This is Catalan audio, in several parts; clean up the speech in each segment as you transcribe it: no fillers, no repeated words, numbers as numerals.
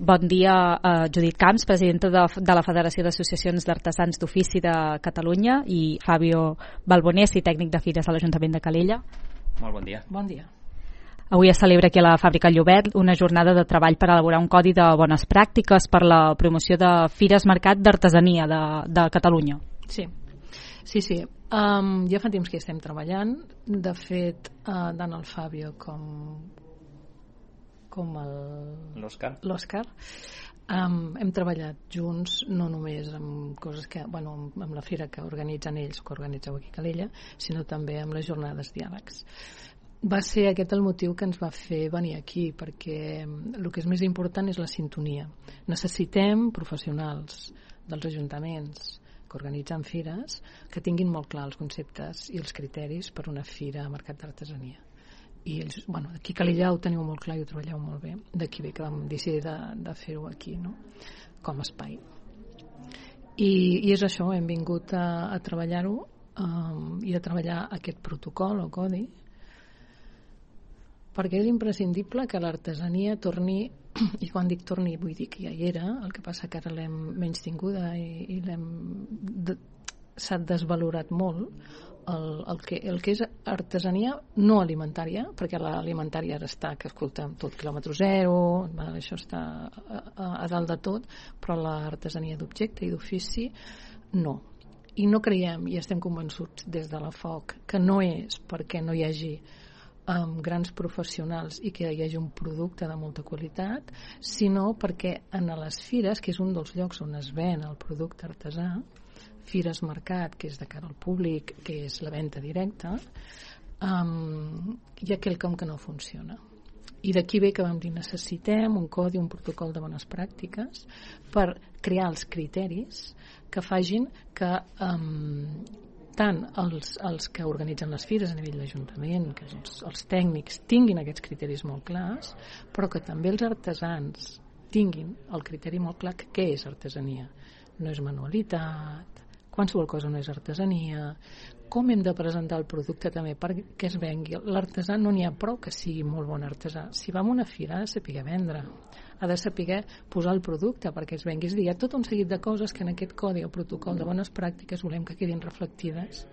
Bon dia, Judit Camps, presidenta de la Federació d'Associacions d'Artesans d'Ofici de Catalunya, i Fabio Balbonesi, tècnic de Fires de l'Ajuntament de Calella. Molt bon dia. Bon dia. Avui es celebra aquí a la Fàbrica Llobet una jornada de treball per elaborar un codi de bones pràctiques per la promoció de Fires Mercat d'Artesania de Catalunya. Sí. Ja fa temps que hi estem treballant. De fet, tant el Fabio com l'Òscar hem treballat junts, no només amb coses que, amb la fira que organitzen ells, que organitzeu aquí a Calella, sinó també amb les jornades diàlegs. Va ser aquest el motiu que ens va fer venir aquí, perquè el que és més important és la sintonia. Necessitem professionals dels ajuntaments que organitzen fires que tinguin molt clar els conceptes i els criteris per una fira a mercat d'artesania. I ells, aquí a Calella ho teniu molt clar i ho treballeu molt bé. D'aquí ve que vam decidir de fer-ho aquí, no? Com a espai. I és això, hem vingut a treballar-ho i a treballar aquest protocol o codi, perquè és imprescindible que l'artesania torni, i quan dic torni vull dir que ja hi era, el que passa que ara l'hem menystinguda i s'ha desvalorat molt. El que és artesania no alimentària, perquè l'alimentària ara està, que escolta'm, tot quilòmetre zero, això està a dalt de tot, però l'artesania d'objecte i d'ofici no. I no creiem, i estem convençuts des de la FOC, que no és perquè no hi hagi grans professionals i que hi hagi un producte de molta qualitat, sinó perquè en les fires, que és un dels llocs on es ven el producte artesà, Fires Mercat, que és de cara al públic, que és la venda directa, hi ha quelcom que no funciona. I d'aquí ve que vam dir necessitem un codi, un protocol de bones pràctiques per crear els criteris que facin que tant els que organitzen les fires a nivell d'Ajuntament, que els tècnics tinguin aquests criteris molt clars, però que també els artesans tinguin el criteri molt clar que què és artesania. No és manualitat, qualsevol cosa no és artesania, com hem de presentar el producte també perquè es vengui. L'artesà no n'hi ha prou que sigui molt bon artesà. Si va a una fira ha de saber vendre, ha de saber posar el producte perquè es vengui. És a dir, hi ha tot un seguit de coses que en aquest codi o protocol de bones pràctiques volem que quedin reflectides.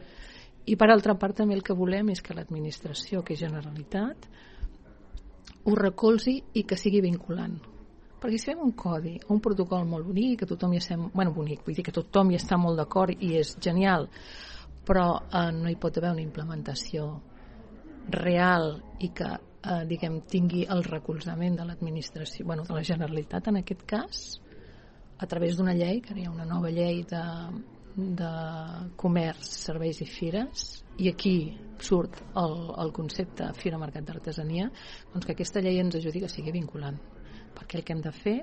I per altra part també el que volem és que l'administració, que és Generalitat, ho recolzi i que sigui vinculant. Perquè si fem un codi o un protocol molt bonic, que tothom hi estem, bonic, vull dir que tothom hi està molt d'acord i és genial, però no hi pot haver una implementació real i que tingui el recolzament de l'administració, de la Generalitat en aquest cas, a través d'una llei, que hi ha una nova llei de comerç, serveis i fires, i aquí surt el concepte Fira Mercat d'Artesania, doncs que aquesta llei ens ajudi que sigui vinculant, perquè el que hem de fer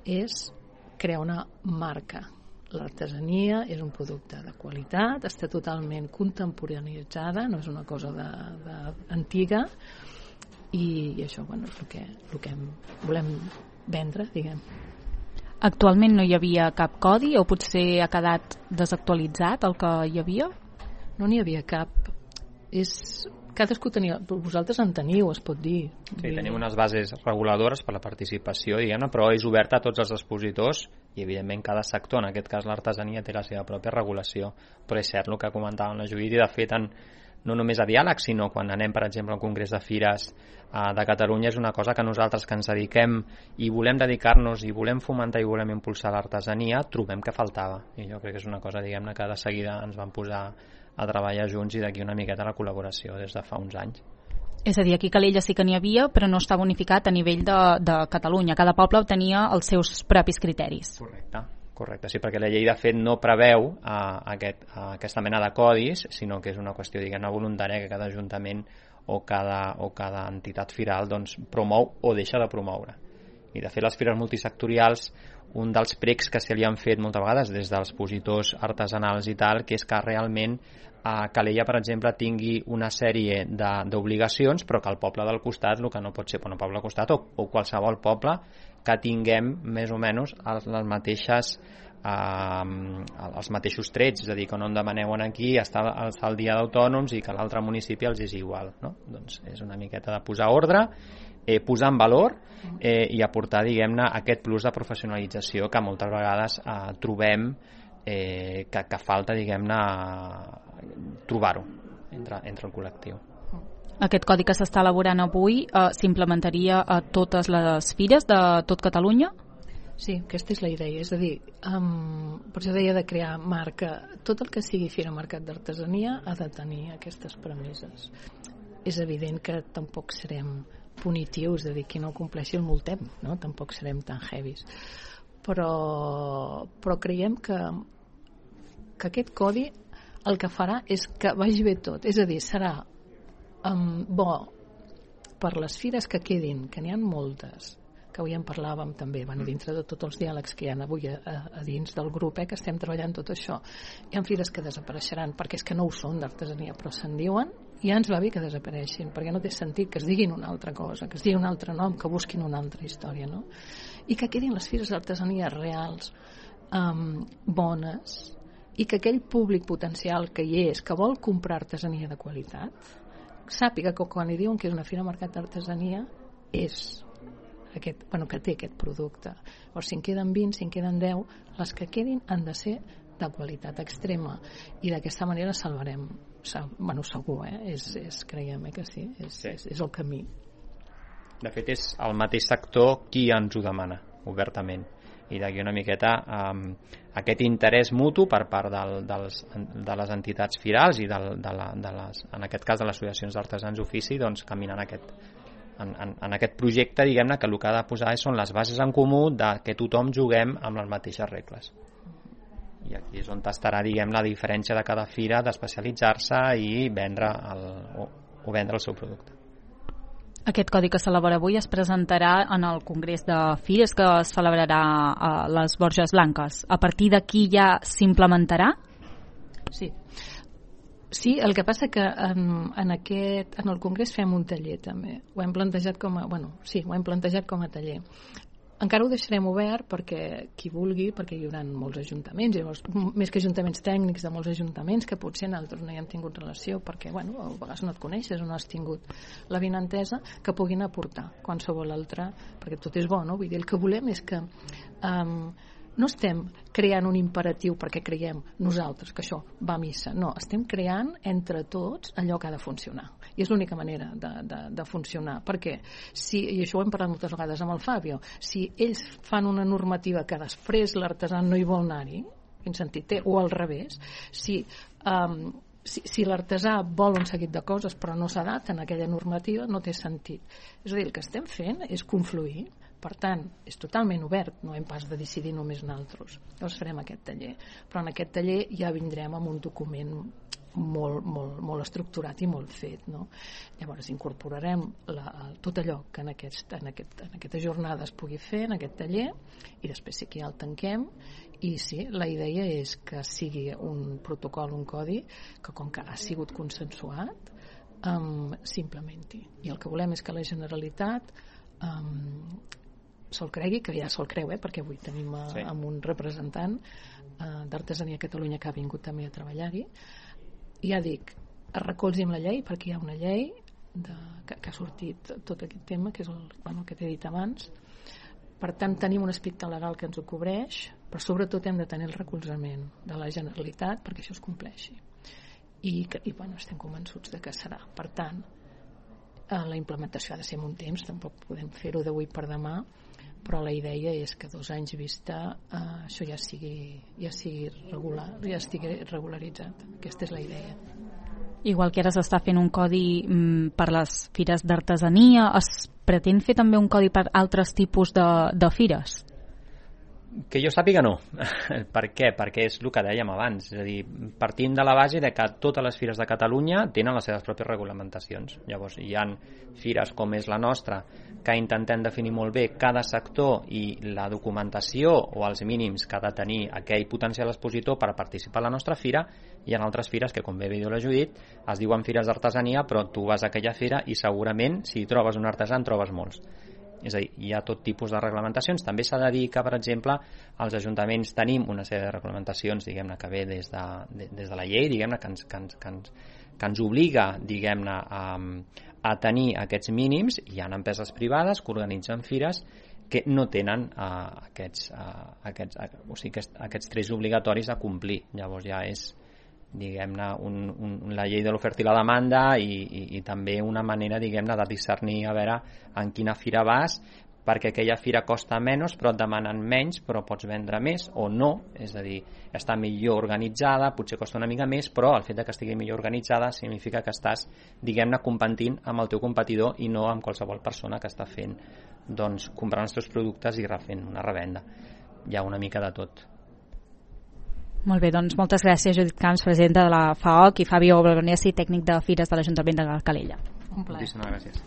és crear una marca. L'artesania és un producte de qualitat, està totalment contemporanitzada, no és una cosa antiga, i això és el que volem vendre, diguem. Actualment no hi havia cap codi o potser ha quedat desactualitzat el que hi havia? No n'hi havia cap. Cadascú tenia, vosaltres en teniu, es pot dir. Sí, tenim unes bases reguladores per la participació, diguem-ne, però és oberta a tots els expositors i evidentment cada sector, en aquest cas l'artesania, té la seva pròpia regulació, però és cert el que comentàvem la Judit, i de fet no només a diàleg, sinó quan anem per exemple al Congrés de Fires de Catalunya, és una cosa que nosaltres que ens dediquem i volem dedicar-nos i volem fomentar i volem impulsar l'artesania, trobem que faltava, i jo crec que és una cosa, diguem-ne, que de seguida ens vam posar a treballar junts i d'aquí una miqueta la col·laboració des de fa uns anys. És a dir, aquí a Calella sí que n'hi havia, però no estava unificat a nivell de Catalunya. Cada poble tenia els seus propis criteris. Correcte, sí, perquè la llei de fet no preveu aquesta mena de codis, sinó que és una qüestió, diguem-ne, voluntària que cada ajuntament o cada entitat firal doncs, promou o deixa de promoure. I de fet les fires multisectorials, un dels precs que se li han fet moltes vegades des dels expositors artesanals i tal, que és que realment Calella, per exemple, tingui una sèrie d'obligacions, però que el poble del costat, el que no pot ser, el poble del costat o qualsevol poble, que tinguem més o menys els mateixos trets, és a dir, que no en demaneu aquí està el dia d'autònoms i que l'altre municipi els és igual, no? Doncs és una miqueta de posar ordre posar en valor i aportar, diguem-ne, aquest plus de professionalització que moltes vegades trobem que falta, diguem-ne, trobar-ho entre el col·lectiu. Aquest codi que s'està elaborant avui s'implementaria a totes les fires de tot Catalunya? Sí, aquesta és la idea, és a dir, per això deia de crear marca. Tot el que sigui Fira Mercat d'Artesania ha de tenir aquestes premisses. És evident que tampoc serem punitius, és a dir, qui no compleixi el multem, no? Tampoc serem tan heavies. Però creiem que aquest codi el que farà és que vagi bé tot, és a dir, serà bo per les fires que quedin, que n'hi ha moltes, que avui en parlàvem també, dintre de tots els diàlegs que hi ha avui a dins del grup, que estem treballant tot això. Hi ha fires que desapareixeran perquè és que no ho són d'artesania, però se'n diuen, i ja ens va bé que desapareixin, perquè no té sentit que es diguin una altra cosa, que es diguin un altre nom, que busquin una altra història, no? I que quedin les fires d'artesania reals, bones, i que aquell públic potencial que hi és, que vol comprar artesania de qualitat, sàpiga que quan li diuen que és una fira mercat d'artesania és aquest, que té aquest producte. Llavors, si en queden 20, si en queden 10, les que quedin han de ser de qualitat extrema, i d'aquesta manera salvarem, segur, creiem que sí, és el camí. De fet, és el mateix sector qui ens ho demana obertament, i d'aquí una miqueta aquest interès mutu per part de les entitats firals i en aquest cas de les associacions d'artesans d'ofici, doncs caminant en aquest projecte, diguem-ne, que el que ha de posar són les bases en comú de que tothom juguem amb les mateixes regles. I aquí és on estarà, diguem, la diferència de cada fira d'especialitzar-se i vendre el seu producte. Aquest codi que s'elabora avui es presentarà en el Congrés de Fires que es celebrarà a les Borges Blanques. A partir d'aquí ja s'implementarà? Sí. Sí, el que passa que en el Congrés fem un taller també. Ho hem plantejat com a taller. Encara ho deixarem obert perquè qui vulgui, perquè hi haurà molts ajuntaments, llavors, més que ajuntaments tècnics de molts ajuntaments que potser nosaltres no hi hem tingut relació perquè a vegades no et coneixes o no has tingut la vinentesa, que puguin aportar qualsevol altre, perquè tot és bo, no? Vull dir, el que volem és que no estem creant un imperatiu perquè creiem nosaltres que això va a missa, no, estem creant entre tots allò que ha de funcionar, i és l'única manera de funcionar, perquè i això ho hem parlat moltes vegades amb el Fabio, si ells fan una normativa que després l'artesà no hi vol anar-hi, quin sentit té, o al revés, si l'artesà vol un seguit de coses però no s'adapta en aquella normativa, no té sentit. És a dir, el que estem fent és confluir. Per tant, és totalment obert, no hem pas de decidir només nosaltres. Llavors farem aquest taller. Però en aquest taller ja vindrem amb un document molt estructurat i molt fet, no? Llavors incorporarem tot allò que en aquesta jornada es pugui fer, en aquest taller, i després sí que ja el tanquem. I sí, la idea és que sigui un protocol, un codi, que com que ha sigut consensuat, s'implementi. I el que volem és que la Generalitat se'l cregui, que ja se'l creu, perquè avui tenim amb un representant d'Artesania a Catalunya que ha vingut també a treballar-hi. I ja dic, es recolzi amb la llei, perquè hi ha una llei que ha sortit tot aquest tema, que és el que t'he dit abans. Per tant, tenim un aspecte legal que ens ho cobreix, però sobretot hem de tenir el recolzament de la Generalitat perquè això es compleixi. I estem convençuts de que serà. Per tant, la implementació ha de ser en un temps, tampoc podem fer-ho d'avui per demà, però la idea és que 2 anys vista això ja sigui regular, ja estigui regularitzat. Aquesta és la idea. Igual que ara s'està fent un codi per les fires d'artesania, es pretén fer també un codi per altres tipus de fires? Que jo sàpiga no. Per què? Perquè és el que dèiem abans, és a dir, partim de la base de que totes les fires de Catalunya tenen les seves pròpies regulamentacions. Llavors hi ha fires com és la nostra que intentem definir molt bé cada sector i la documentació o els mínims que ha de tenir aquell potencial expositor per participar a la nostra fira. Hi ha altres fires que, com bé diu la Judit, es diuen fires d'artesania, però tu vas a aquella fira i segurament si trobes un artesà en trobes molts. És a dir, hi ha tot tipus de reglamentacions. També s'ha de dir que, per exemple, als ajuntaments tenim una sèrie de reglamentacions, diguem-ne, que ve des de la llei, diguem-ne, que que ens obliga, diguem-ne, a tenir aquests mínims. Hi ha empreses privades que organitzen fires que no tenen aquests 3 obligatoris a complir. Llavors ja és, diguem-ne, la llei de l'oferta i la demanda i també una manera, diguem-ne, de discernir a veure en quina fira vas, perquè aquella fira costa menys però et demanen menys però pots vendre més o no, és a dir, està millor organitzada, potser costa una mica més, però el fet de que estigui millor organitzada significa que estàs, diguem-ne, competint amb el teu competidor i no amb qualsevol persona que està fent, doncs, comprant els teus productes i refent una revenda. Hi ha una mica de tot. Molt bé, doncs moltes gràcies, Judit Camps, presidenta de la FAOC, i Fabio Bolognesi, tècnic de fires de l'Ajuntament de Calella. Un plaer. Moltíssimes gràcies.